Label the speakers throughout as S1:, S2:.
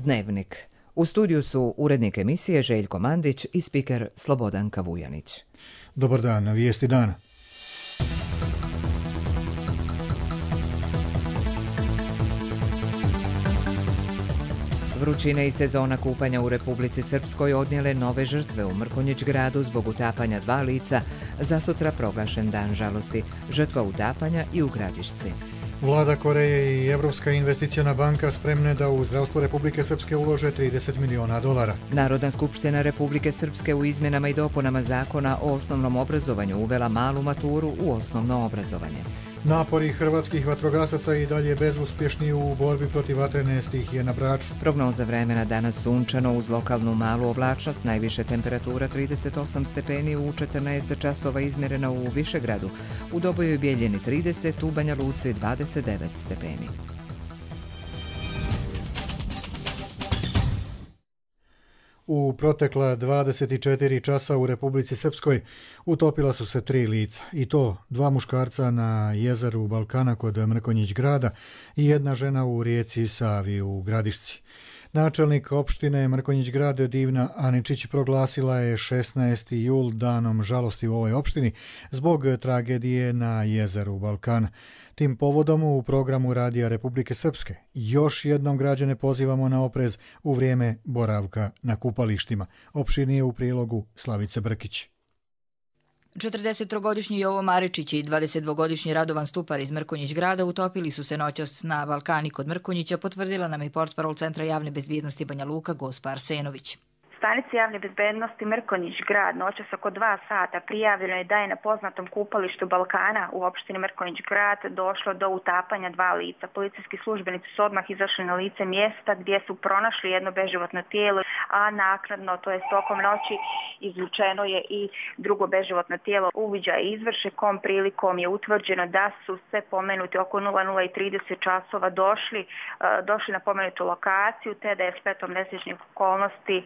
S1: Dnevnik. U studiju su urednik emisije Željko Mandić i spiker Slobodanka Vujanić.
S2: Dobar dan, na vijesti dana.
S1: Vrućine i sezona kupanja u Republici Srpskoj odnijele nove žrtve u Mrkonjić gradu zbog utapanja 2 lica, zasutra proglašen dan žalosti, žrtva utapanja i u Gradišci.
S2: Vlada Koreje i Evropska investiciona banka spremne da u zdravstvo Republike Srpske ulože $30 miliona.
S1: Narodna skupština Republike Srpske u izmjenama i dopunama zakona o osnovnom obrazovanju uvela malu maturu u osnovno obrazovanje.
S2: Napori hrvatskih vatrogasaca i dalje bezuspješni u borbi protiv vatrene stihije na Braču.
S1: Prognoza vremena danas sunčano uz lokalnu malu oblačnost, najviše temperatura 38 stepeni u 14 časova izmjerena u Višegradu, u Dobojoj i Bijeljini 30, u Banja Luci 29 stepeni.
S2: U protekla 24 časa u Republici Srpskoj utopila su se 3 lica, i to 2 muškarca na jezeru Balkana kod Mrkonjić grada i 1 žena u rijeci Savi u Gradišci. Načelnik opštine Mrkonjić grad Divna Aničić proglasila je 16. jul danom žalosti u ovoj opštini zbog tragedije na jezeru Balkana. Tim povodom u programu Radija Republike Srpske još jednom građane pozivamo na oprez u vrijeme boravka na kupalištima. Opširnije u prilogu Slavice Brkić.
S3: 43-godišnji Jovo Maričić i 22-godišnji Radovan Stupar iz Mrkonjić grada utopili su se noćas na Balkani kod Mrkonjića, potvrdila nam i portparol Centra javne bezbjednosti Banja Luka Gospa Arsenović.
S4: Stanici javne bezbednosti Mrkonjić grad noćas oko 2 sata prijavljeno je da je na poznatom kupalištu Balkana u opštini Mrkonjić grad došlo do utapanja 2 lica. Policijski službenici su odmah izašli na lice mjesta gdje su pronašli jedno beživotno tijelo, a naknadno, to je tokom noći, izvučeno je i drugo beživotno tijelo. Uviđaj izvrše, kom prilikom je utvrđeno da su se pomenuti oko 00:30 časova došli na pomenutu lokaciju, te da je spletom nesrećnih okolnosti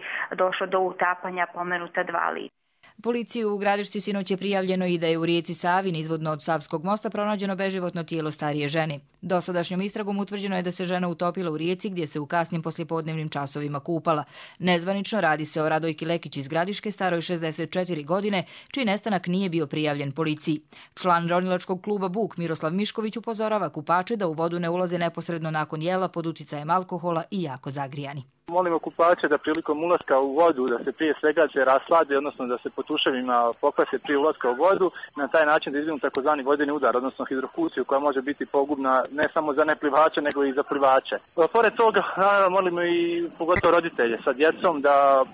S4: došlo do utapanja pomenuta 2 lica.
S3: Policiji u Gradišci sinoć je prijavljeno i da je u rijeci Savi nizvodno od Savskog mosta pronađeno beživotno tijelo starije žene. Dosadašnjom istragom utvrđeno je da se žena utopila u rijeci gdje se u kasnim poslijepodnevnim časovima kupala. Nezvanično radi se o Radojki Lekić iz Gradiške, staroj 64 godine, čiji nestanak nije bio prijavljen policiji. Član ronilačkog kluba Buk Miroslav Mišković upozorava kupače da u vodu ne ulaze neposredno nakon jela pod uticajem alkohola i jako zagrijani.
S5: Molimo kupače da prilikom ulaska u vodu da se prije svega raslade, odnosno da se po tuševima pokvase prije ulaska u vodu, na taj način da izbjegnu takozvani vodeni udar, odnosno hidrokusiju koja može biti pogubna ne samo za neplivače nego i za plivače. Pored toga molimo i pogotovo roditelje sa djecom da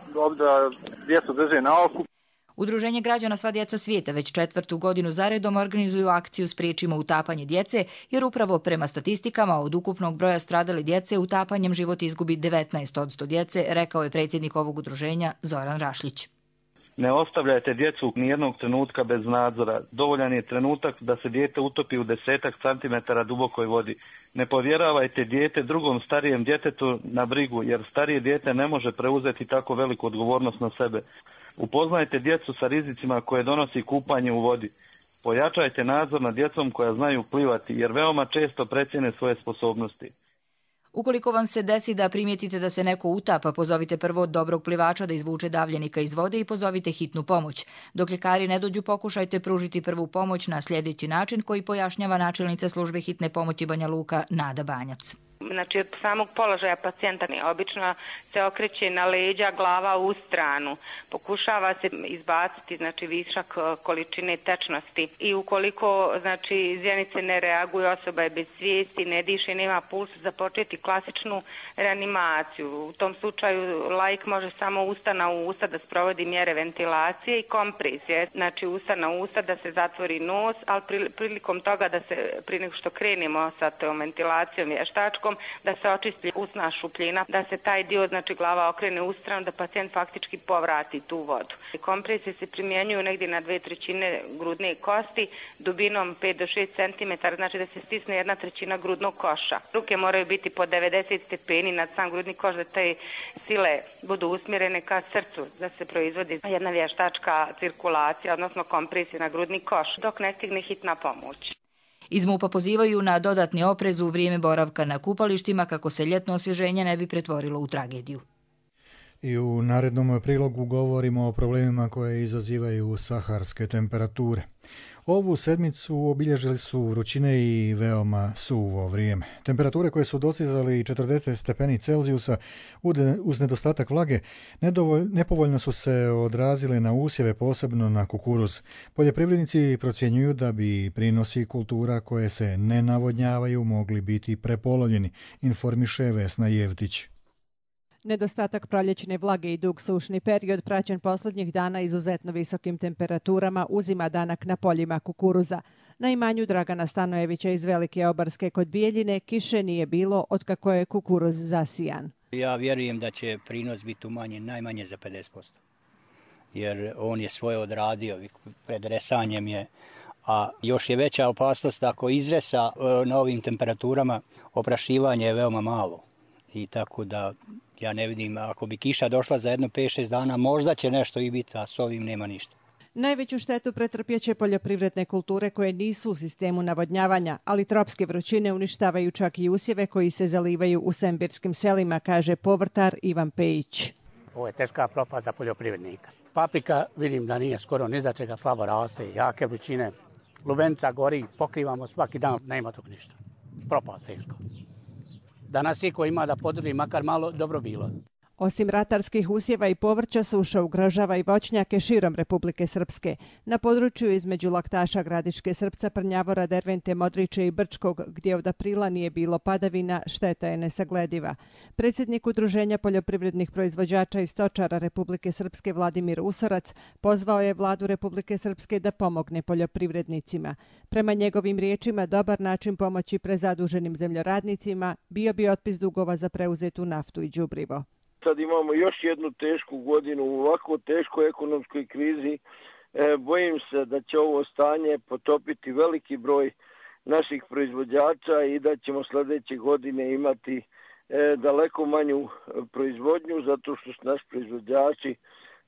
S5: djecu drže na oku.
S3: Udruženje građana Sva djeca svijeta već 4. godinu zaredom organizuju akciju Spriječimo utapanje djece, jer upravo prema statistikama od ukupnog broja stradale djece utapanjem život izgubi 19% djece, rekao je predsjednik ovog udruženja Zoran Rašlić.
S6: Ne ostavljajte djecu nijednog trenutka bez nadzora. Dovoljan je trenutak da se dijete utopi u 10 centimetara dubokoj vodi. Ne povjeravajte dijete drugom starijem djetetu na brigu, jer starije dijete ne može preuzeti tako veliku odgovornost na sebe. Upoznajte djecu sa rizicima koje donosi kupanje u vodi. Pojačajte nadzor nad djecom koja znaju plivati, jer veoma često precijene svoje sposobnosti.
S3: Ukoliko vam se desi da primijetite da se neko utapa, pozovite prvo dobrog plivača da izvuče davljenika iz vode i pozovite hitnu pomoć. Dok ljekari ne dođu, pokušajte pružiti prvu pomoć na sljedeći način koji pojašnjava načelnica službe hitne pomoći Banja Luka Nada Banjac.
S7: Znači, od samog položaja pacijenta obično se okreće na leđa, glava u stranu. Pokušava se izbaciti, znači, višak količine tečnosti. I ukoliko, znači, zjenice ne reaguju, osoba je bez svijesti, ne diše, nema pulsa, započeti klasičnu reanimaciju. U tom slučaju laik može samo usta na usta da sprovodi mjere ventilacije i kompresije. Znači, usta na usta da se zatvori nos, ali prilikom toga da se, prije nego što krenemo sa tom ventilacijom vještačkom, da se očisti usna šupljina, da se taj dio, znači glava okrene u stranu, da pacijent faktički povrati tu vodu. Kompresije se primjenjuju negdje na 2/3 grudne kosti, dubinom 5 do 6 cm, znači da se stisne 1/3 grudnog koša. Ruke moraju biti po 90 stepeni nad sam grudni koš, da te sile budu usmjerene ka srcu, da se proizvodi jedna vještačka cirkulacija, odnosno kompresija na grudni koš, dok ne stigne hitna pomoć.
S3: Iz MUP-a pozivaju na dodatni oprez u vrijeme boravka na kupalištima kako se ljetno osvježenje ne bi pretvorilo u tragediju.
S2: I u narednom prilogu govorimo o problemima koje izazivaju saharske temperature. Ovu sedmicu obilježili su vrućine i veoma suvo vrijeme. Temperature koje su dostizali 40 stepeni Celzijusa uz nedostatak vlage nepovoljno su se odrazile na usjeve, posebno na kukuruz. Poljoprivrednici procjenjuju da bi prinosi kultura koje se ne navodnjavaju mogli biti prepolovljeni, informiše Vesna Jevtić.
S8: Nedostatak proljećne vlage i dug sušni period praćen posljednjih dana izuzetno visokim temperaturama uzima danak na poljima kukuruza. Na imanju Dragana Stanojevića iz Velike Obarske kod Bijeljine kiše nije bilo otkako je kukuruz zasijan.
S9: Ja vjerujem da će prinos biti umanjen najmanje za 50%, jer on je svoje odradio, pred resanjem je, a još je veća opasnost ako izresa na ovim temperaturama, oprašivanje je veoma malo i tako da ja ne vidim, ako bi kiša došla za jedno 5-6 dana, možda će nešto i biti, a s ovim nema ništa.
S8: Najveću štetu pretrpjeće poljoprivredne kulture koje nisu u sistemu navodnjavanja, ali tropske vrućine uništavaju čak i usjeve koji se zalivaju u sembirskim selima, kaže povrtar Ivan Pejić.
S10: Ovo je teška propast za poljoprivrednika. Paprika vidim da nije skoro ni za čega, slabo raste, jake vrućine. Lubenica gori, pokrivamo svaki dan, nema tog ništa. Propast teško. Da nas iko ima da podrži makar malo, dobro bilo.
S8: Osim ratarskih usjeva i povrća, suša ugrožava i voćnjake širom Republike Srpske. Na području između Laktaša, Gradiške, Srpca, Prnjavora, Dervente, Modriče i Brčkog, gdje od aprila nije bilo padavina, šteta je nesaglediva. Predsjednik Udruženja poljoprivrednih proizvođača i stočara Republike Srpske Vladimir Usorac pozvao je vladu Republike Srpske da pomogne poljoprivrednicima. Prema njegovim riječima, dobar način pomoći prezaduženim zemljoradnicima bio bi otpis dugova za preuzetu naftu i đubrivo.
S11: Sad imamo još jednu tešku godinu u ovako teškoj ekonomskoj krizi. Bojim se da će ovo stanje potopiti veliki broj naših proizvođača i da ćemo sljedeće godine imati daleko manju proizvodnju zato što su naši proizvođači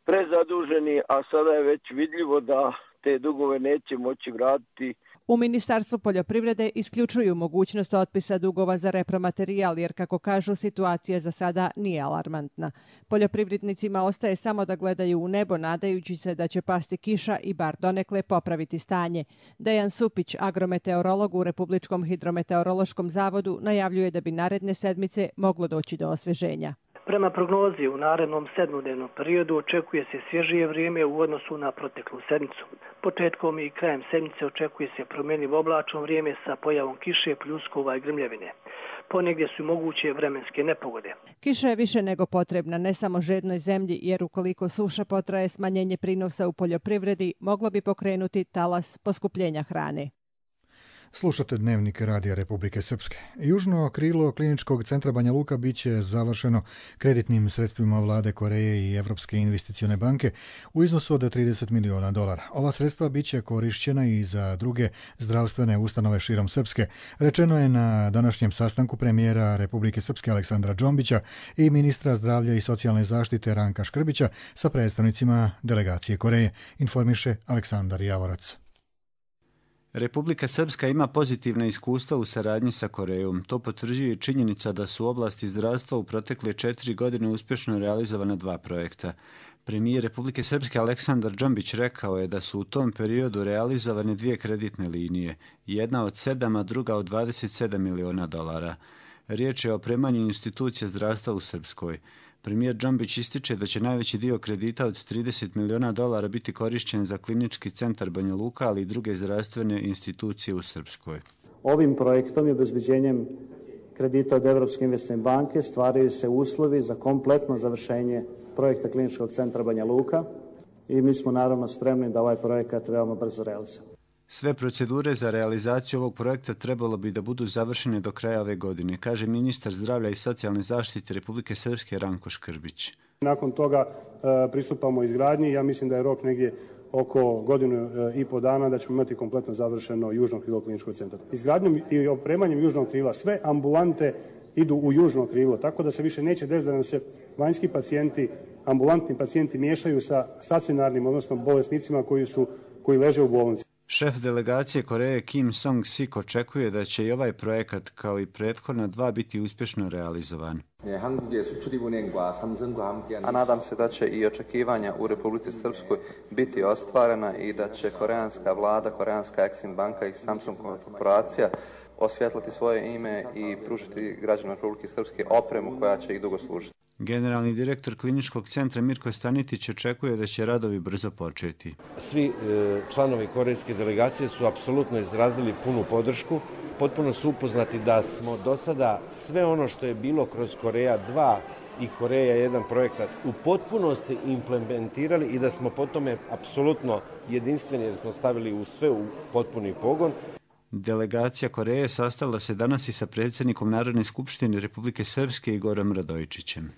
S11: prezaduženi, a sada je već vidljivo da te dugove neće moći vratiti.
S8: U Ministarstvu poljoprivrede isključuju mogućnost otpisa dugova za repromaterijal, jer kako kažu, situacija za sada nije alarmantna. Poljoprivrednicima ostaje samo da gledaju u nebo, nadajući se da će pasti kiša i bar donekle popraviti stanje. Dejan Supić, agrometeorolog u Republičkom hidrometeorološkom zavodu, najavljuje da bi naredne sedmice moglo doći do osveženja.
S12: Prema prognozi u narednom 7-dnevnom periodu očekuje se svježije vrijeme u odnosu na proteklu sedmicu. Početkom i krajem sedmice očekuje se promjenjivo oblačno vrijeme sa pojavom kiše, pljuskova i grmljevine. Ponegdje su moguće vremenske nepogode.
S8: Kiša je više nego potrebna ne samo žednoj zemlji, jer ukoliko suša potraje, smanjenje prinosa u poljoprivredi moglo bi pokrenuti talas poskupljenja hrane.
S2: Slušate Dnevnik Radija Republike Srpske. Južno krilo kliničkog centra Banja Luka bit će završeno kreditnim sredstvima vlade Koreje i Evropske investicione banke u iznosu od $30 miliona. Ova sredstva bit će korišćena i za druge zdravstvene ustanove širom Srpske. Rečeno je na današnjem sastanku premijera Republike Srpske Aleksandra Džombića i ministra zdravlja i socijalne zaštite Ranka Škrbića sa predstavnicima delegacije Koreje, informiše Aleksandar Javorac.
S13: Republika Srpska ima pozitivna iskustva u saradnji sa Korejom. To potvrđuje činjenica da su u oblasti zdravstva u protekle 4 godine uspješno realizovana 2 projekta. Premijer Republike Srpske Aleksandar Džombić rekao je da su u tom periodu realizovane 2 kreditne linije, jedna od 7, a druga od $27 miliona. Riječ je o opremanju institucija zdravstva u Srpskoj. Premijer Džombić ističe da će najveći dio kredita od $30 miliona biti korišćen za klinički centar Banja Luka, ali i druge zdravstvene institucije u Srpskoj.
S14: Ovim projektom i obezbeđenjem kredita od Evropske investicione banke stvaraju se uslovi za kompletno završenje projekta kliničkog centra Banja Luka i mi smo naravno spremni da ovaj projekat veoma brzo realizujemo.
S13: Sve procedure za realizaciju ovog projekta trebalo bi da budu završene do kraja ove godine, kaže ministar zdravlja i socijalne zaštite Republike Srpske Ranko Škrbić.
S15: Nakon toga pristupamo izgradnji. Ja mislim da je rok negdje oko godinu i po dana da ćemo imati kompletno završeno južno krilo kliničkog centra. Izgradnjom i opremanjem južnog krila sve ambulante idu u južno krilo, tako da se više neće desiti da nam se vanjski pacijenti, ambulantni pacijenti miješaju sa stacionarnim, odnosno bolesnicima koji leže u bolnici.
S13: Šef delegacije Koreje Kim Song-sik očekuje da će i ovaj projekat, kao i prethodna dva, biti uspješno realizovan.
S16: A nadam se da će i očekivanja u Republici Srpskoj biti ostvarena i da će koreanska vlada, koreanska Exim banka i Samsung korporacija osvjetliti svoje ime i pružiti građanima Republike Srpske opremu koja će ih dugo služiti.
S13: Generalni direktor kliničkog centra Mirko Stanitić očekuje da će radovi brzo početi.
S17: Svi članovi korejske delegacije su apsolutno izrazili punu podršku. Potpuno su upoznati da smo do sada sve ono što je bilo kroz Koreja 2 i Koreja 1 projekat u potpunosti implementirali i da smo po tome apsolutno jedinstveni jer smo stavili u sve u potpuni pogon.
S13: Delegacija Koreje sastala se danas i sa predsjednikom Narodne skupštine Republike Srpske Igorom Radojičićem.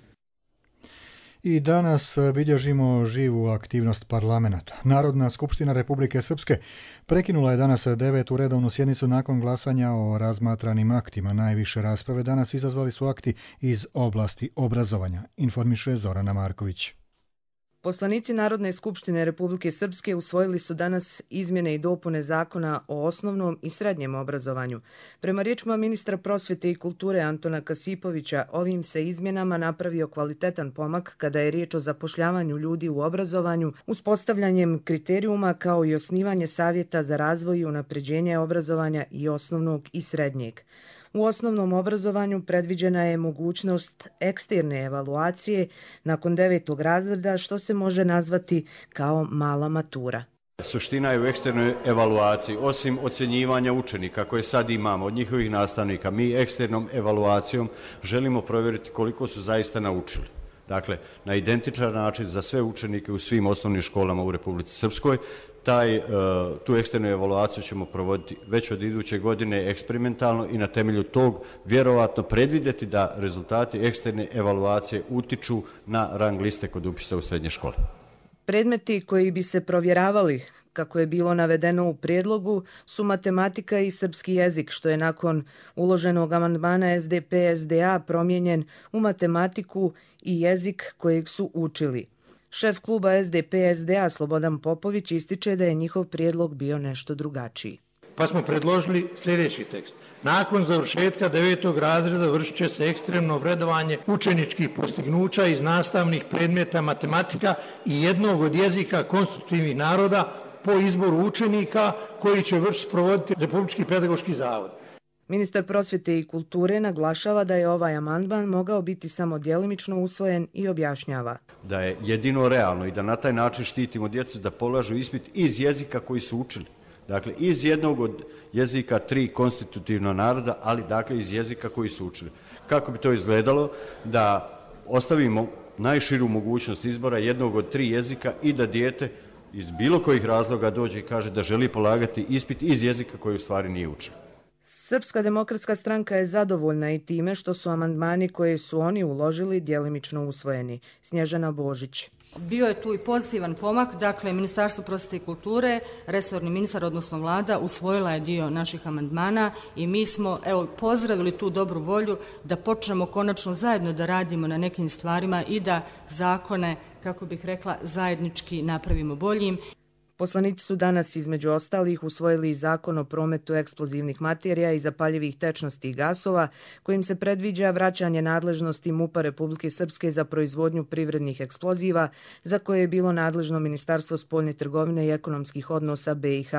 S2: I danas bilježimo živu aktivnost parlamenta. Narodna skupština Republike Srpske prekinula je danas 9. redovnu sjednicu nakon glasanja o razmatranim aktima. Najviše rasprave danas izazvali su akti iz oblasti obrazovanja, informiše Zorana Marković.
S18: Poslanici Narodne skupštine Republike Srpske usvojili su danas izmjene i dopune zakona o osnovnom i srednjem obrazovanju. Prema riječima ministra prosvjete i kulture Antona Kasipovića, ovim se izmjenama napravio kvalitetan pomak kada je riječ o zapošljavanju ljudi u obrazovanju, uspostavljanjem kriterijuma kao i osnivanje savjeta za razvoj i unapređenje obrazovanja i osnovnog i srednjeg. U osnovnom obrazovanju predviđena je mogućnost eksterne evaluacije nakon 9. razreda, što se može nazvati kao mala matura.
S19: Suština je u eksternoj evaluaciji. Osim ocjenjivanja učenika koje sad imamo od njihovih nastavnika, mi eksternom evaluacijom želimo provjeriti koliko su zaista naučili. Dakle, na identičan način za sve učenike u svim osnovnim školama u Republici Srpskoj. Tu eksternu evaluaciju ćemo provoditi već od iduće godine eksperimentalno i na temelju tog vjerovatno predvidjeti da rezultati eksterne evaluacije utiču na rang liste kod upisa u srednje škole.
S18: Predmeti koji bi se provjeravali, kako je bilo navedeno u prijedlogu, su matematika i srpski jezik, što je nakon uloženog amandmana SDP-SDA promijenjen u matematiku i jezik kojeg su učili. Šef kluba SDP-SDA Slobodan Popović ističe da je njihov prijedlog bio nešto drugačiji.
S20: Pa smo predložili sljedeći tekst. Nakon završetka 9. razreda vršit će se ekstremno vredovanje učeničkih postignuća iz nastavnih predmeta matematika i jednog od jezika konstitutivnih naroda po izboru učenika koji će sprovoditi Republički pedagoški zavod.
S18: Ministar prosvjete i kulture naglašava da je ovaj amandman mogao biti samo djelimično usvojen i objašnjava.
S19: Da je jedino realno i da na taj način štitimo djecu da polažu ispit iz jezika koji su učili. Dakle, iz jednog od jezika 3 konstitutivna naroda, ali dakle iz jezika koji su učili. Kako bi to izgledalo? Da ostavimo najširu mogućnost izbora jednog od 3 jezika i da dijete iz bilo kojih razloga dođe i kaže da želi polagati ispit iz jezika koji u stvari nije učio.
S18: Srpska demokratska stranka je zadovoljna i time što su amandmani koje su oni uložili djelimično usvojeni. Snježana Božić.
S21: Bio je tu i pozitivan pomak, dakle Ministarstvo prosvjete i kulture, resorni ministar, odnosno vlada, usvojila je dio naših amandmana i mi smo pozdravili tu dobru volju da počnemo konačno zajedno da radimo na nekim stvarima i da zakone, kako bih rekla, zajednički napravimo boljim.
S18: Poslanici su danas između ostalih usvojili i zakon o prometu eksplozivnih materija i zapaljivih tečnosti i gasova, kojim se predviđa vraćanje nadležnosti MUP-a Republike Srpske za proizvodnju privrednih eksploziva, za koje je bilo nadležno Ministarstvo spoljne trgovine i ekonomskih odnosa BiH.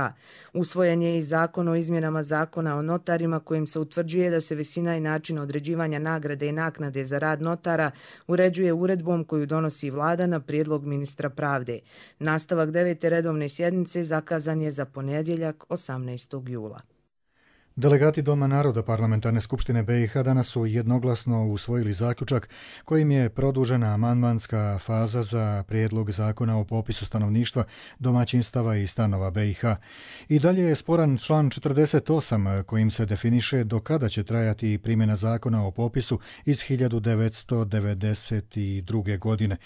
S18: Usvojen je i zakon o izmjenama zakona o notarima, kojim se utvrđuje da se visina i način određivanja nagrade i naknade za rad notara uređuje uredbom koju donosi vlada na prijedlog ministra pravde. Nastavak 9. redovne sjednice zakazan je za ponedjeljak 18. jula.
S2: Delegati Doma naroda Parlamentarne skupštine BiH danas su jednoglasno usvojili zaključak kojim je produžena amandmanska faza za prijedlog zakona o popisu stanovništva, domaćinstava i stanova BiH. I dalje je sporan član 48 kojim se definiše do kada će trajati primjena zakona o popisu iz 1992. godine.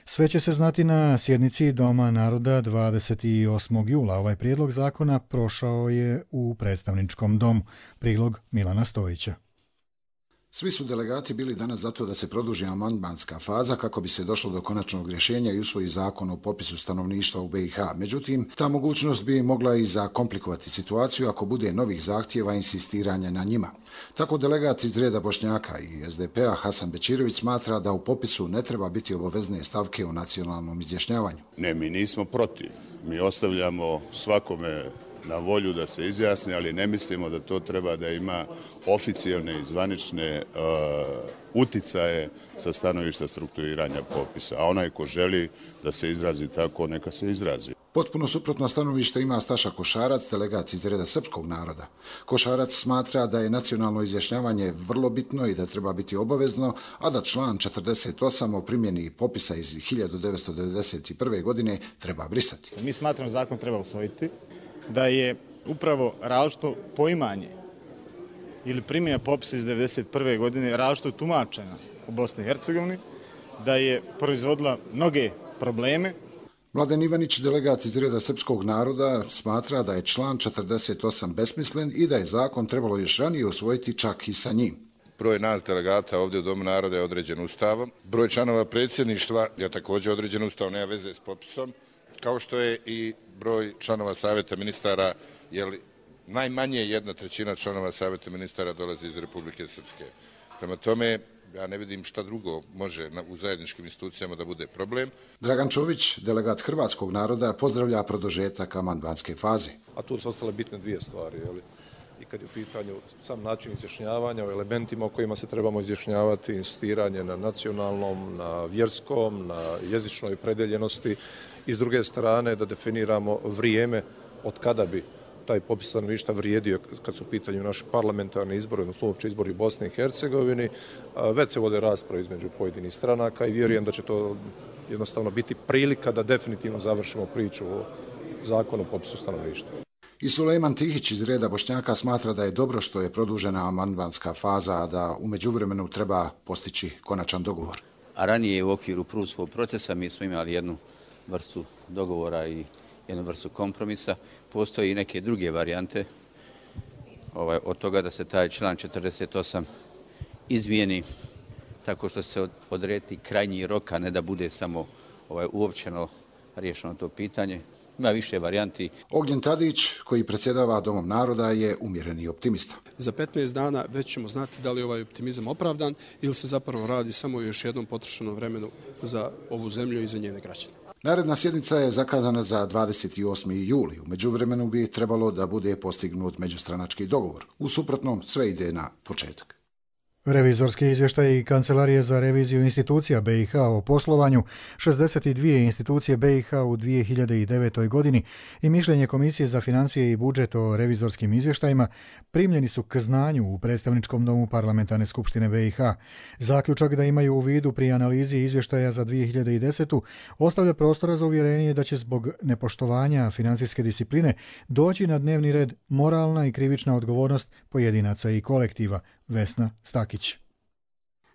S2: Sve će se znati na sjednici Doma naroda 28. jula. Ovaj prijedlog zakona prošao je u predstavničkom domu. Prilog Milana Stojića.
S1: Svi su delegati bili danas zato da se produži amandmanska faza kako bi se došlo do konačnog rješenja i usvoji zakon o popisu stanovništva u BiH. Međutim, ta mogućnost bi mogla i zakomplikovati situaciju ako bude novih zahtjeva i insistiranja na njima. Tako delegat iz reda Bošnjaka i SDP-a Hasan Bečirović smatra da u popisu ne treba biti obavezne stavke o nacionalnom izjašnjavanju.
S22: Ne, mi nismo protiv. Mi ostavljamo svakome na volju da se izjasni, ali ne mislimo da to treba da ima oficijalne i zvanične uticaje sa stanovišta strukturiranja popisa. A onaj ko želi da se izrazi tako, neka se izrazi.
S1: Potpuno suprotno stanovište ima Staša Košarac, delegat iz reda srpskog naroda. Košarac smatra da je nacionalno izjašnjavanje vrlo bitno i da treba biti obavezno, a da član 48 o primjeni popisa iz 1991. godine treba brisati.
S23: Mi smatramo zakon treba usvojiti, da je upravo različito poimanje ili primjena popisa iz 1991. godine različito tumačena u Bosni i Hercegovini, da je proizvodila mnoge probleme.
S1: Mladen Ivanić, delegat iz reda srpskog naroda, smatra da je član 48 besmislen i da je zakon trebalo još ranije usvojiti čak i sa njim.
S24: Broj nas delegata ovdje u Domu naroda je određen Ustavom. Broj članova predsjedništva je također određen Ustavom, nema veze s popisom, kao što je i broj članova savjeta ministara, jer najmanje 1/3 članova savjeta ministara dolazi iz Republike Srpske. Prema tome, ja ne vidim šta drugo može u zajedničkim institucijama da bude problem.
S1: Dragan Čović, delegat hrvatskog naroda, pozdravlja produžetak amandmanske faze.
S25: A tu su ostale bitne dvije stvari. I kad je u pitanju sam način izjašnjavanja, o elementima o kojima se trebamo izjašnjavati, insistiranje na nacionalnom, na vjerskom, na jezičnoj predeljenosti i s druge strane da definiramo vrijeme od kada bi taj popis stanovništva vrijedio kad su u pitanju naši parlamentarni izbori, odnosno uopće izbori u Bosni i Hercegovini. Već se vode rasprave između pojedinih stranaka i vjerujem da će to jednostavno biti prilika da definitivno završimo priču o zakonu o popisu stanovništva.
S1: I Sulejman Tihić iz reda Bošnjaka smatra da je dobro što je produžena amandmanska faza, a da u međuvremenu treba postići konačan dogovor.
S26: A ranije u okviru Prusovog procesa mi smo imali jednu vrstu dogovora i jednu vrstu kompromisa. Postoje i neke druge varijante od toga da se taj član 48 izmijeni tako što se odredi krajnji rok, a ne da bude samo uopćeno riješeno to pitanje. Ima više varijanti.
S1: Ognjen Tadić, koji predsjedava Domom naroda, je umjereni optimista.
S27: Za 15 dana već ćemo znati da li je ovaj optimizam opravdan ili se zapravo radi samo o još jednom potrošenom vremenu za ovu zemlju i za njene građane.
S1: Naredna sjednica je zakazana za 28. juli. U međuvremenu bi trebalo da bude postignut međustranački dogovor. U suprotnom sve ide na početak.
S2: Revizorski izvještaj Kancelarije za reviziju institucija BiH o poslovanju 62 institucije BiH u 2009. godini i mišljenje Komisije za financije i budžet o revizorskim izvještajima primljeni su k znanju u Predstavničkom domu Parlamentarne skupštine BiH. Zaključak da imaju u vidu pri analizi izvještaja za 2010. ostavlja prostora za uvjerenje da će zbog nepoštovanja financijske discipline doći na dnevni red moralna i krivična odgovornost pojedinaca i kolektiva. Vesna Stakić.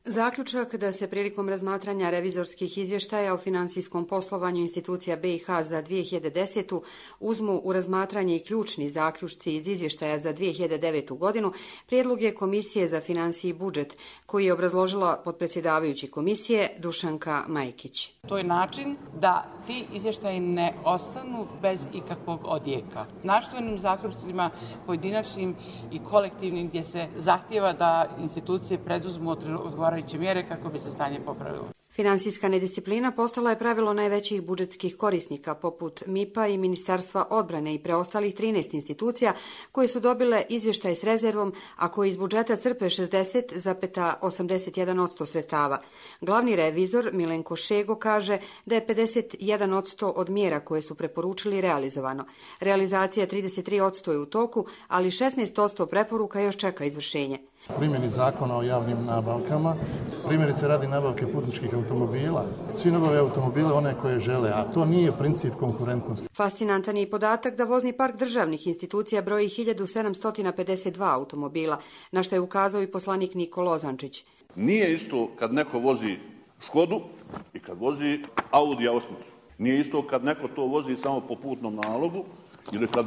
S28: Zaključak da se prilikom razmatranja revizorskih izvještaja o financijskom poslovanju institucija BiH za 2010. uzmu u razmatranje i ključni zaključci iz izvještaja za 2009. godinu, prijedlog je Komisije za financije i budžet, koji je obrazložila potpredsjedavajući komisije Dušanka Majkić.
S29: To je način da ti izvještaji ne ostanu bez ikakvog odjeka. Načelnim zaključcima, pojedinačnim i kolektivnim, gdje se zahtijeva da institucije preduzmu odgovarajuće mjere kako bi se stanje popravilo.
S28: Finansijska nedisciplina postala je pravilo najvećih budžetskih korisnika poput MIP-a i Ministarstva odbrane i preostalih 13 institucija koje su dobile izvještaj s rezervom, a koji iz budžeta crpe 60,81% sredstava. Glavni revizor Milenko Šego kaže da je 51% od mjera koje su preporučili realizovano. Realizacija 33% je u toku, ali 16% preporuka još čeka izvršenje.
S30: Primjeni zakona o javnim nabavkama, primjerice radi nabavke putničkih automobila. Svi nabave automobile one koje žele, a to nije princip konkurentnosti.
S28: Fascinantan je i podatak da vozni park državnih institucija broji 1752 automobila, na što je ukazao i poslanik Niko Lozančić.
S31: Nije isto kad neko vozi Škodu i kad vozi Audi A8. Nije isto kad neko to vozi samo po putnom nalogu ili kad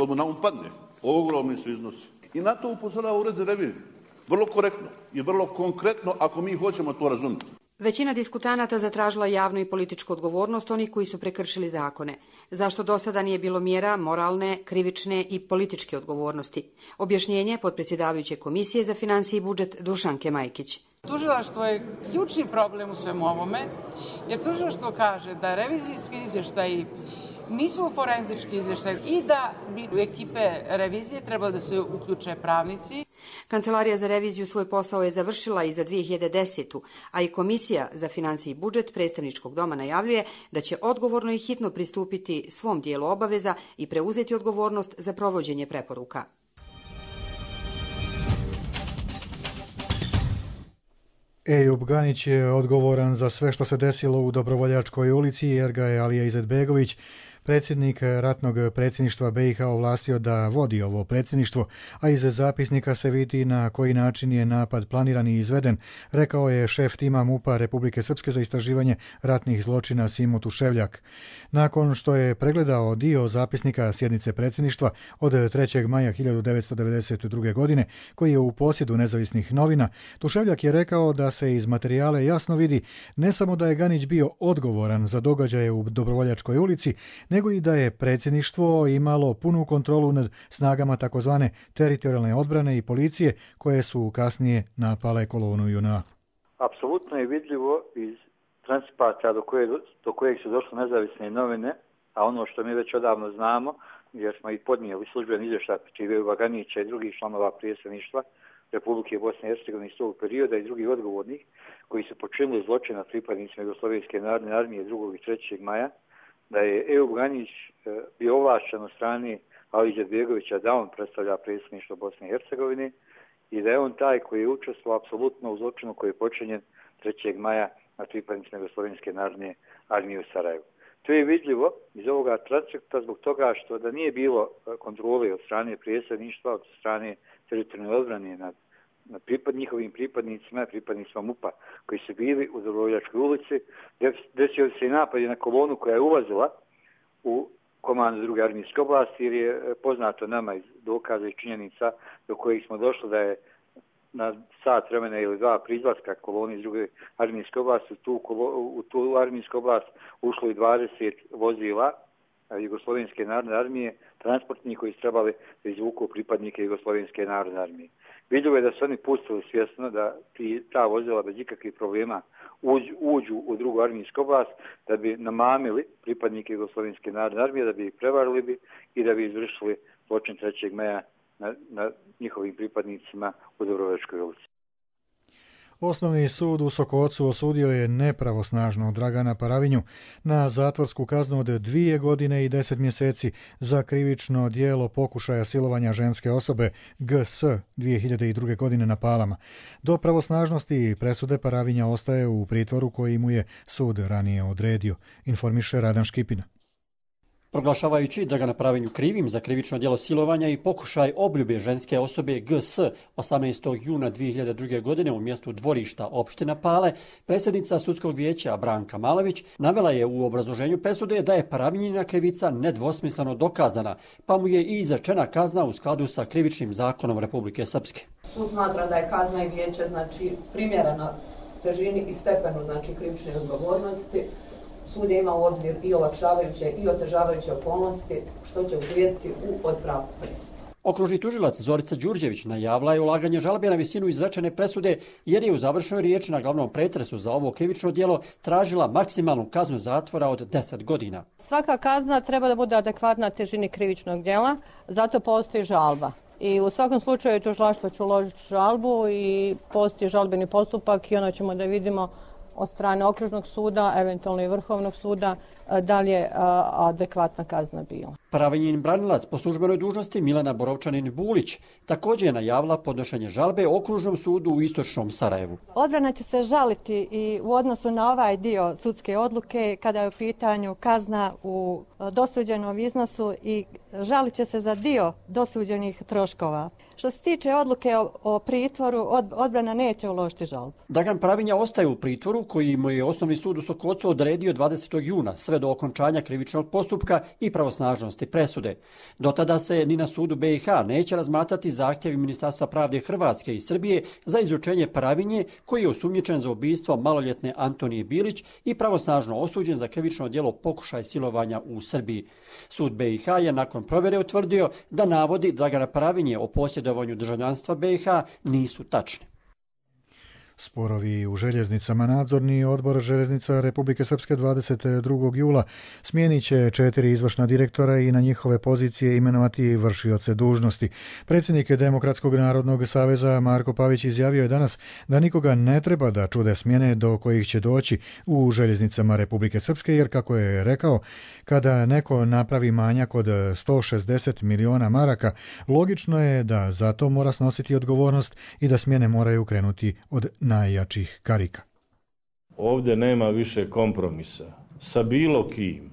S31: mu na padne. Ogromni su iznosi. I na to upozorava Ured za reviziju. vrlo korektno i vrlo konkretno ako mi hoćemo to razumjeti.
S28: Većina diskutanata zatražila javnu i političku odgovornost onih koji su prekršili zakone. Zašto do sada nije bilo mjera moralne, krivične i političke odgovornosti? Objašnjenje potpredsjedavajuće Komisije za financije i budžet Dušanke Majkić.
S29: Tužilaštvo je ključni problem u svemu ovome, jer tužilaštvo kaže da revizijski izvještaji nisu forenzički izvještaj i da bi u ekipe revizije trebalo da se uključe pravnici.
S28: Kancelarija za reviziju svoj posao je završila i za 2010. a i Komisija za financije i budžet predstavničkog doma najavljuje da će odgovorno i hitno pristupiti svom dijelu obaveza i preuzeti odgovornost za provođenje preporuka.
S2: Ejub Ganić je odgovoran za sve što se desilo u Dobrovoljačkoj ulici jer ga je Alija Izetbegović, predsjednik ratnog predsjedništva BiH, ovlastio da vodi ovo predsjedništvo, a iz zapisnika se vidi na koji način je napad planiran i izveden, rekao je šef tima MUP-a Republike Srpske za istraživanje ratnih zločina Simo Tuševljak. Nakon što je pregledao dio zapisnika sjednice predsjedništva od 3. maja 1992. godine, koji je u posjedu nezavisnih novina, Tuševljak je rekao da se iz materijale jasno vidi ne samo da je Ganić bio odgovoran za događaje u Dobrovoljačkoj ulici, nego i da je predsjedništvo imalo punu kontrolu nad snagama takozvane teritorijalne odbrane i policije koje su kasnije napale kolonu JNA.
S3: Apsolutno je vidljivo iz transkripata do kojeg su došle nezavisne novine, a ono što mi već odavno znamo, jer smo i podnijeli službeni izvještaj protiv Ejuba Ganića i drugih članova predsjedništva Republike Bosne i Hercegovine iz tog perioda i drugih odgovornih koji su počinili zločina pripadnicima Jugoslovenske narodne armije 2. i 3. maja, da je Ejub Ganić bio ovlašćen od strane Alije Izetbegovića da on predstavlja predsjedništvo Bosne i Hercegovine i da je on taj koji je učestvovao apsolutno u zločinu koji je počinjen 3. maja na pripadnicima Jugoslovenske narodne armije u Sarajevu. To je vidljivo iz ovoga transkripta zbog toga što da nije bilo kontrole od strane predsjedništva, od strane teritorijalne odbrane nad njihovim pripadnicima MUP-a koji su bili u Dobrovoljačkoj ulici, desio se i napad na kolonu koja je ulazila u komandu 2. armijske oblasti, jer je poznato nama iz dokaza i činjenica do kojih smo došli da je na sat vremena ili dva pri izlaska koloni iz 2. armijske oblasti u tu armijsku oblast ušlo i 20 vozila Jugoslovenske narodne armije, transportni koji su trebali da izvuku pripadnike Jugoslovenske narodne armije. Vidljivo je da su oni pustili svjesno da ta vozila bez ikakvih problema uđu u 2. armijsku oblast, da bi namamili pripadnike Jugoslovenske narodne armije, da bi ih prevarili bi i da bi izvršili zločin 3. maja na njihovim pripadnicima u Dobrovoljačkoj ulici.
S2: Osnovni sud u Sokocu osudio je nepravosnažno Dragana Paravinju na zatvorsku kaznu od 2 godine i 10 mjeseci za krivično djelo pokušaja silovanja ženske osobe GS 2002. godine na Palama. Do pravosnažnosti presude Paravinja ostaje u pritvoru koji mu je sud ranije odredio, informiše Radan Škipina.
S4: Proglašavajući Dragana Paravinju krivim za krivično djelo silovanja i pokušaj obljube ženske osobe GS 18. juna 2002. godine u mjestu dvorišta opština Pale, predsjednica sudskog vijeća Branka Malović navela je u obrazloženju presude da je Paravinjina krivica nedvosmisleno dokazana, pa mu je i izrečena kazna u skladu sa krivičnim zakonom Republike Srpske.
S5: Sud smatra da je kazna i vijeće primjerena težini i stepenu krivične odgovornosti. Sud je imao u obzir i olakšavajuće i otežavajuće okolnosti, što će uvrijediti u odpravku presude.
S4: Okružni tužilac Zorica Đurđević najavila je ulaganje žalbe na visinu izrečene presude jer je u završnoj riječi na glavnom pretresu za ovo krivično djelo tražila maksimalnu kaznu zatvora od 10 godina.
S5: Svaka kazna treba da bude adekvatna težini krivičnog djela, zato postoji žalba. I u svakom slučaju tužilaštvo će uložiti žalbu i postoji žalbeni postupak i onda ćemo da vidimo od strane okružnog suda, eventualno i Vrhovnog suda, da li je adekvatna kazna bila.
S4: Paravinjin branilac po službenoj dužnosti Milana Borovčanin-Bulić također je najavila podnošenje žalbe okružnom sudu u istočnom Sarajevu.
S6: Odbrana će se žaliti i u odnosu na ovaj dio sudske odluke kada je u pitanju kazna u dosuđenom iznosu i žalit će se za dio dosuđenih troškova. Što se tiče odluke o pritvoru, odbrana neće uložiti žalbu.
S4: Dragan Paravinja ostaje u pritvoru koji mu je Osnovni sud u Sokocu odredio 20. juna sve do okončanja krivičnog postupka i pravosnažnosti donijeti presude. Do tada se ni na sudu BiH neće razmatrati zahtjevi Ministarstva pravde Hrvatske i Srbije za izručenje Paravinje, koji je osumnjičen za ubistvo maloljetne Antonije Bilić i pravosnažno osuđen za krivično djelo pokušaj silovanja u Srbiji. Sud BiH je nakon provjere utvrdio da navodi Dragana Paravinje o posjedovanju državljanstva BiH nisu tačni.
S2: Sporovi u željeznicama. Nadzorni odbor željeznica Republike Srpske 22. jula smijenit će 4 izvršna direktora i na njihove pozicije imenovati vršioce dužnosti. Predsjednik Demokratskog narodnog saveza Marko Pavić izjavio je danas da nikoga ne treba da čude smjene do kojih će doći u željeznicama Republike Srpske, jer kako je rekao, kada neko napravi manjak od 160 miliona maraka, logično je da za to mora snositi odgovornost i da smjene moraju krenuti od najjačih karika.
S7: Ovdje nema više kompromisa sa bilo kim.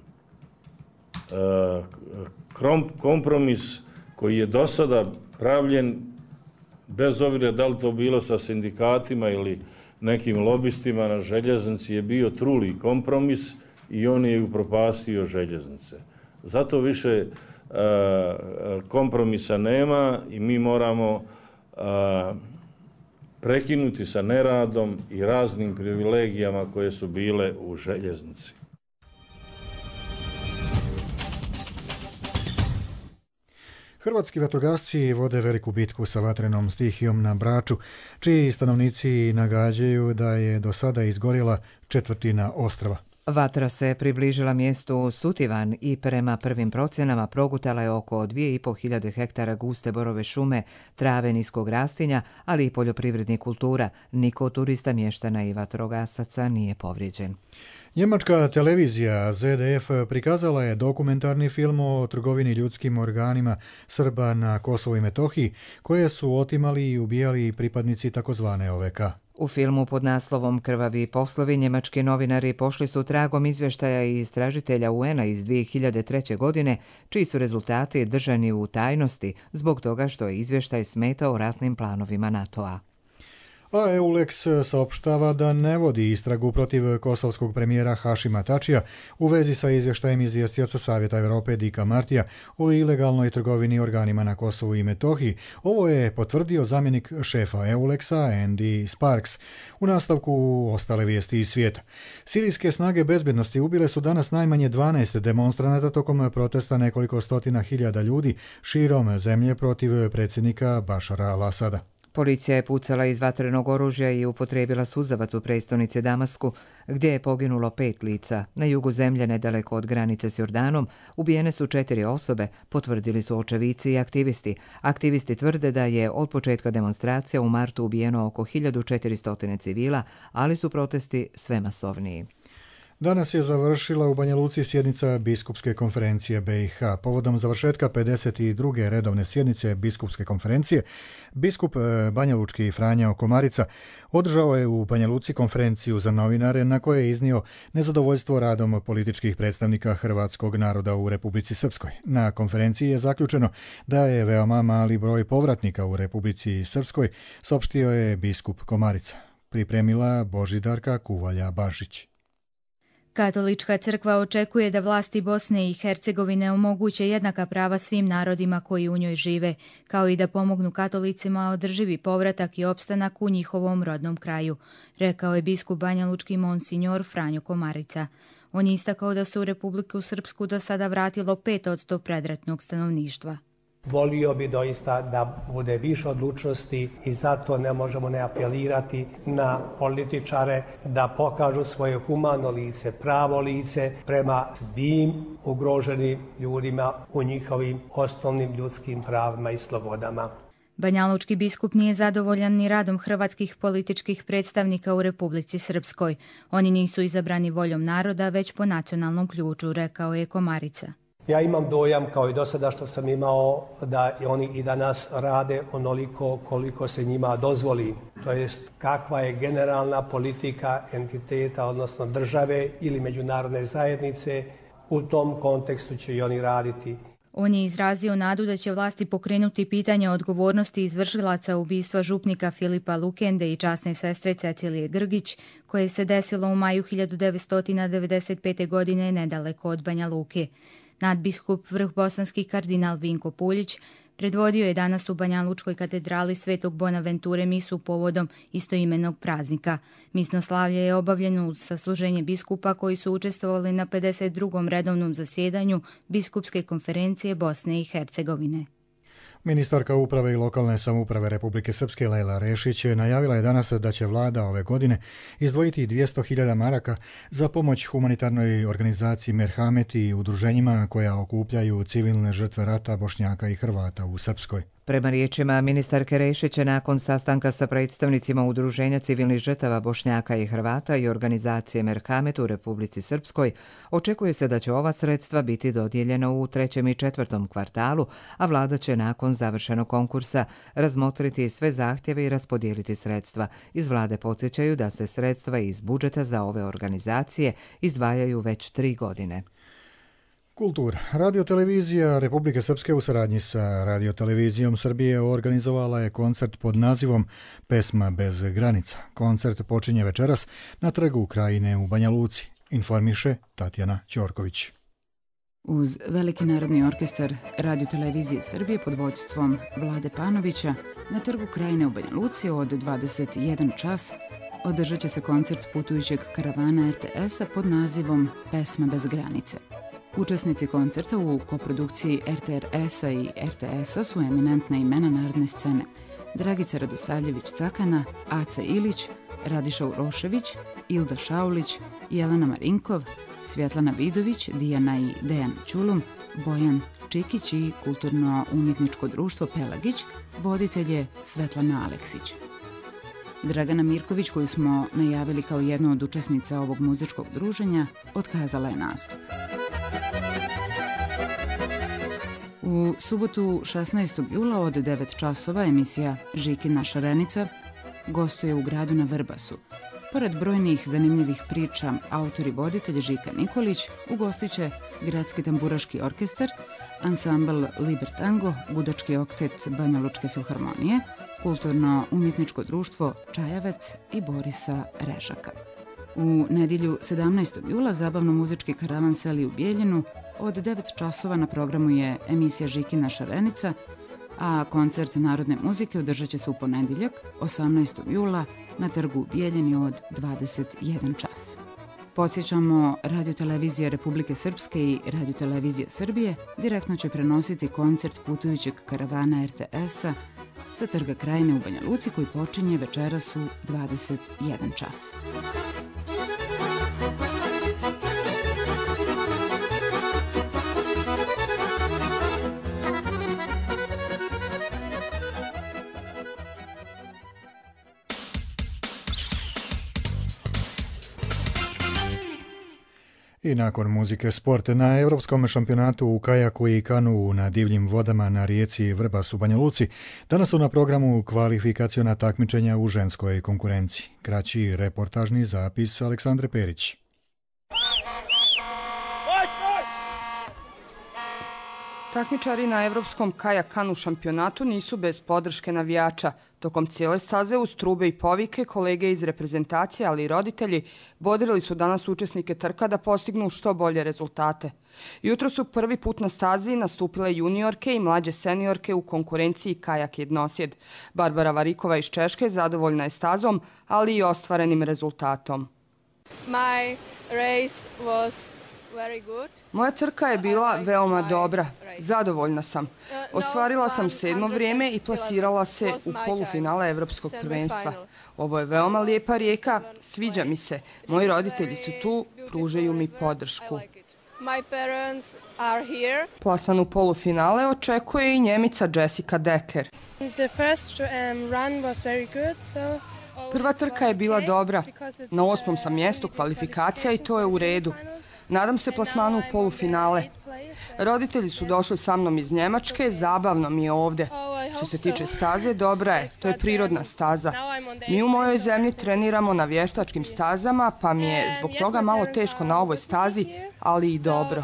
S7: Kompromis koji je do sada pravljen, bez obzira da li to bilo sa sindikatima ili nekim lobistima na željeznici, je bio truli kompromis i on je upropastio željeznice. Zato više kompromisa nema i mi moramo prekinuti sa neradom i raznim privilegijama koje su bile u željeznici.
S2: Hrvatski vatrogasci vode veliku bitku sa vatrenom stihijom na Braču, čiji stanovnici nagađaju da je do sada izgorjela 1/4 ostrva.
S8: Vatra se približila mjestu Sutivan i prema prvim procjenama progutala je oko 2500 hektara guste borove šume, trave niskog rastinja, ali i poljoprivrednih kultura. Niko turista, mještana i vatrogasaca nije povrijeđen.
S2: Njemačka televizija ZDF prikazala je dokumentarni film o trgovini ljudskim organima Srba na Kosovu i Metohiji, koje su otimali i ubijali pripadnici takozvane OVK.
S8: U filmu pod naslovom Krvavi poslovi njemački novinari pošli su tragom izvještaja i istražitelja UN-a iz 2003. godine, čiji su rezultati držani u tajnosti zbog toga što je izvještaj smetao ratnim planovima NATO-a.
S2: A EULEX saopštava da ne vodi istragu protiv kosovskog premijera Hašima Tačija u vezi sa izvještajem izvjestioca Savjeta Europe Dika Martija o ilegalnoj trgovini organima na Kosovu i Metohiji. Ovo je potvrdio zamjenik šefa EULEX-a Andy Sparks. U nastavku ostale vijesti iz svijeta. Sirijske snage bezbjednosti ubile su danas najmanje 12 demonstranata tokom protesta nekoliko stotina hiljada ljudi širom zemlje protiv predsjednika Bašara al-Asada.
S8: Policija je pucala iz vatrenog oružja i upotrijebila suzavac u prestonici Damasku, gdje je poginulo 5 lica. Na jugu zemlje, nedaleko od granice s Jordanom, ubijene su 4 osobe, potvrdili su očevici i aktivisti. Aktivisti tvrde da je od početka demonstracija u martu ubijeno oko 1400 civila, ali su protesti sve masovniji.
S2: Danas je završila u Banja Luci sjednica Biskupske konferencije BiH. Povodom završetka 52. redovne sjednice Biskupske konferencije, biskup banjalučki Franjo Komarica održao je u Banja Luci konferenciju za novinare na kojoj je iznio nezadovoljstvo radom političkih predstavnika hrvatskog naroda u Republici Srpskoj. Na konferenciji je zaključeno da je veoma mali broj povratnika u Republici Srpskoj, saopštio je biskup Komarica. Pripremila Božidarka Kuvalja-Bašić.
S9: Katolička crkva očekuje da vlasti Bosne i Hercegovine omoguće jednaka prava svim narodima koji u njoj žive, kao i da pomognu katolicima održivi povratak i opstanak u njihovom rodnom kraju, rekao je biskup banjalučki monsinjor Franjo Komarica. On je istakao da se u Republiku Srpsku do sada vratilo 5% predratnog stanovništva.
S10: Volio bi doista da bude više odlučnosti i zato ne možemo ne apelirati na političare da pokažu svoje humano lice, pravo lice prema svim ugroženim ljudima u njihovim osnovnim ljudskim pravima i slobodama.
S9: Banjalučki biskup nije zadovoljan ni radom hrvatskih političkih predstavnika u Republici Srpskoj. Oni nisu izabrani voljom naroda, već po nacionalnom ključu, rekao je Komarica.
S10: Ja imam dojam, kao i do sada što sam imao, da oni i danas rade onoliko koliko se njima dozvoli. To jest kakva je generalna politika entiteta, odnosno države ili međunarodne zajednice, u tom kontekstu će i oni raditi.
S9: On je izrazio nadu da će vlasti pokrenuti pitanje odgovornosti izvršilaca ubistva župnika Filipa Lukende i časne sestre Cecilije Grgić, koje se desilo u maju 1995. godine nedaleko od Banja Luke. Nadbiskup vrhbosanski kardinal Vinko Puljić predvodio je danas u Banja Lučkoj katedrali Svetog Bonaventure misu povodom istoimenog praznika. Misno slavlje je obavljeno uz sasluženje biskupa koji su učestvovali na 52. redovnom zasjedanju Biskupske konferencije Bosne i Hercegovine.
S2: Ministarka uprave i lokalne samouprave Republike Srpske Lejla Rešić najavila je danas da će vlada ove godine izdvojiti 200.000 maraka za pomoć humanitarnoj organizaciji Merhamet i udruženjima koja okupljaju civilne žrtve rata Bošnjaka i Hrvata u Srpskoj.
S8: Prema riječima ministarke Rešića, nakon sastanka sa predstavnicima Udruženja civilnih žrtava Bošnjaka i Hrvata i organizacije Merhamet u Republici Srpskoj, očekuje se da će ova sredstva biti dodijeljena u 3. i 4. kvartalu, a vlada će nakon završenog konkursa razmotriti sve zahtjeve i raspodijeliti sredstva. Iz vlade podsjećaju da se sredstva iz budžeta za ove organizacije izdvajaju već 3 godine.
S2: Kultura. Radiotelevizija Republike Srpske u saradnji sa Radiotelevizijom Srbije organizovala je koncert pod nazivom Pesma bez granica. Koncert počinje večeras na Trgu Krajine u Banja Luci, informiše Tatjana Ćorković.
S11: Uz Veliki narodni orkestar Radiotelevizije Srbije pod vođstvom Vlade Panovića na Trgu Krajine u Banja Luci od 21 čas održat će se koncert putujućeg karavana RTS-a pod nazivom Pesma bez granice. Učesnici koncerta u koprodukciji RTRS-a i RTS-a su eminentna imena narodne scene: Dragica Radosavljević-Cakana, Aca Ilić, Radiša Urošević, Ilda Šaulić, Jelena Marinkov, Svjetlana Vidović, Dijana i Dejan Ćulum, Bojan Čikić i kulturno-umjetničko društvo Pelagić, voditelj je Svetlana Aleksić. Dragana Mirković, koju smo najavili kao jednu od učesnica ovog muzičkog druženja, otkazala je nastup. U subotu 16. jula od 9 časova emisija Žikina šarenica gostuje u gradu na Vrbasu. Pored brojnih zanimljivih priča, autor i voditelj Žika Nikolić ugostit će Gradski tamburaški orkestar, ansambl Liber Tango, gudački oktet Banja Lučke filharmonije, kulturno-umjetničko društvo Čajavec i Borisa Režaka. U nedjelju 17. jula zabavno-muzički karavan seli u Bijeljinu. Od 9 časova na programu je emisija Žikina šarenica, a koncert narodne muzike održat će se u ponedjeljak 18. jula na Trgu u Bijeljini od 21 čas. Podsjećamo, Radiotelevizija Republike Srpske i Radiotelevizija Srbije direktno će prenositi koncert putujućeg karavana RTS-a sa Trga Krajine u Banja Luci koji počinje večeras u 21 čas.
S2: I nakon muzike sport, na Evropskom šampionatu u kajaku i kanu na divljim vodama na rijeci Vrbas u Banja Luci danas su na programu kvalifikaciona takmičenja u ženskoj konkurenciji. Kraći reportažni zapis Aleksandre Perić.
S12: Takmičari na Evropskom kajak kanu šampionatu nisu bez podrške navijača. Tokom cijele staze uz trube i povike kolege iz reprezentacije, ali i roditelji, bodrili su danas učesnike trka da postignu što bolje rezultate. Jutro su prvi put na stazi nastupile juniorke i mlađe seniorke u konkurenciji kajak jednosjed. Barbara Varikova iz Češke zadovoljna je stazom, ali i ostvarenim rezultatom. Moja trka je bila veoma dobra. Zadovoljna sam. Ostvarila sam 7. vrijeme i plasirala se u polufinale Evropskog prvenstva. Ovo je veoma lijepa rijeka, sviđa mi se. Moji roditelji su tu, pružaju mi podršku. Plasman u polufinale očekuje i Njemica Jessica Decker. Prva trka je bila dobra. Na 8. sam mjestu kvalifikacija i to je u redu. Nadam se plasmanu u polufinale. Roditelji su došli sa mnom iz Njemačke, zabavno mi je ovdje. Što se tiče staze, dobra je, to je prirodna staza. Mi u mojoj zemlji treniramo na vještačkim stazama, pa mi je zbog toga malo teško na ovoj stazi, ali i dobro.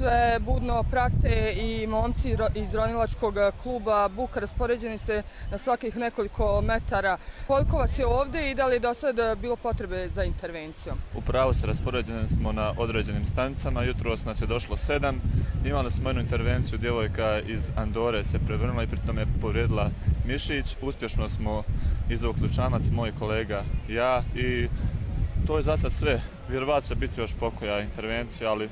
S12: sve budno prate i momci iz ronilačkog kluba Buka. Raspoređeni ste na svakih nekoliko metara. Koliko vas je ovdje i da li je do sada bilo potrebe za intervencijom?
S13: Upravo se raspoređeni smo na određenim stanicama. Jutros nas je došlo 7. Imali smo jednu intervenciju, djevojka iz Andore se prevrnula i pritom je povrijedila mišić. Uspješno smo izvukli čamac, moj kolega i ja, i to je za sad sve. Vjerovatno će biti još pokoja intervencija, ali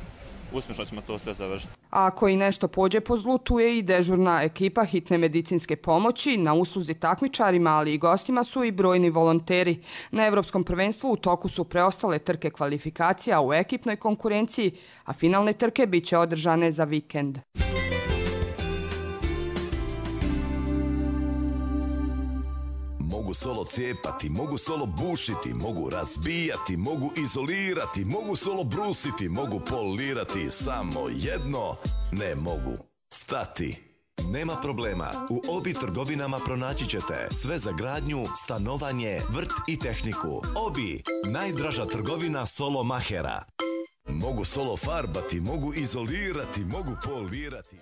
S13: uspješno ćemo to sve završiti.
S12: A ako i nešto pođe po zlu, tu je i dežurna ekipa hitne medicinske pomoći. Na usluzi takmičarima, ali i gostima su i brojni volonteri. Na Evropskom prvenstvu u toku su preostale trke kvalifikacija u ekipnoj konkurenciji, a finalne trke bit će održane za vikend.
S14: Mogu solo cijepati, mogu solo bušiti, mogu razbijati, mogu izolirati, mogu solo brusiti, mogu polirati, samo jedno ne mogu stati. Nema problema, u Obi trgovinama pronaći ćete sve za gradnju, stanovanje, vrt i tehniku. Obi, najdraža trgovina solo mahera. Mogu solo farbati, mogu izolirati, mogu polirati.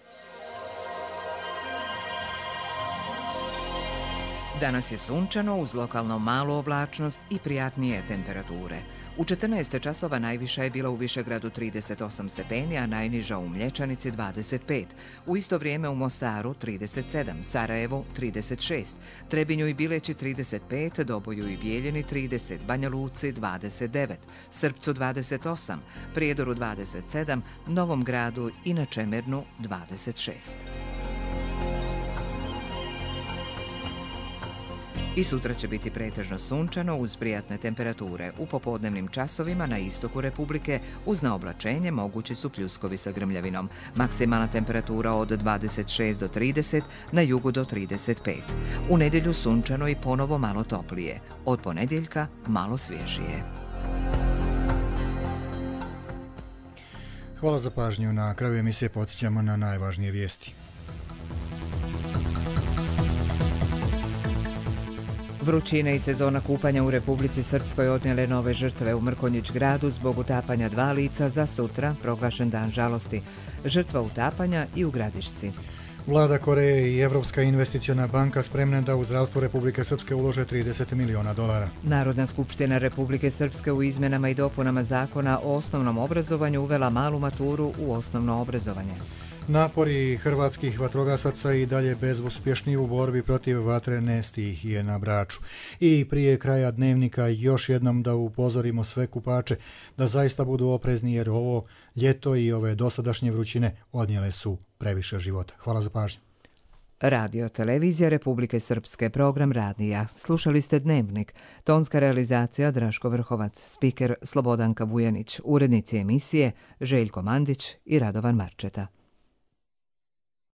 S8: Danas je sunčano uz lokalno malu oblačnost i prijatnije temperature. U 14 časova najviša je bila u Višegradu 38 stepeni, a najniža u Mlječanici 25. U isto vrijeme u Mostaru 37, Sarajevu 36, Trebinju i Bileći 35, Doboju i Bijeljini 30, Banja Luci 29, Srpcu 28, Prijedoru 27, Novom Gradu i na Čemernu 26. I sutra će biti pretežno sunčano uz prijatne temperature. U popodnevnim časovima na istoku Republike uz naoblačenje mogući su pljuskovi sa grmljavinom. Maksimalna temperatura od 26 do 30, na jugu do 35. U nedjelju sunčano i ponovo malo toplije. Od ponedjeljka malo svježije.
S2: Hvala za pažnju. Na kraju emisije podsjećamo na najvažnije vijesti.
S8: Vrućina i sezona kupanja u Republici Srpskoj odnijele nove žrtve u Mrkonjić gradu zbog utapanja 2 lica, za sutra proglašen dan žalosti. Žrtva utapanja i u Gradišci.
S2: Vlada Koreje i Evropska investiciona banka spremne da u zdravstvo Republike Srpske ulože $30 miliona.
S8: Narodna skupština Republike Srpske u izmenama i dopunama zakona o osnovnom obrazovanju uvela malu maturu u osnovno obrazovanje.
S2: Napori hrvatskih vatrogasaca i dalje bezuspješni u borbi protiv vatrene stihije na Braču. I prije kraja dnevnika još jednom da upozorimo sve kupače da zaista budu oprezni jer ovo ljeto i ove dosadašnje vrućine odnijele su previše života. Hvala za pažnju.
S8: Radio Televizija Republike Srpske, program Radija. Slušali ste Dnevnik. Tonska realizacija Draško Vrhovac, spiker Slobodanka Vujanić, urednici emisije Željko Mandić i Radovan Marčeta.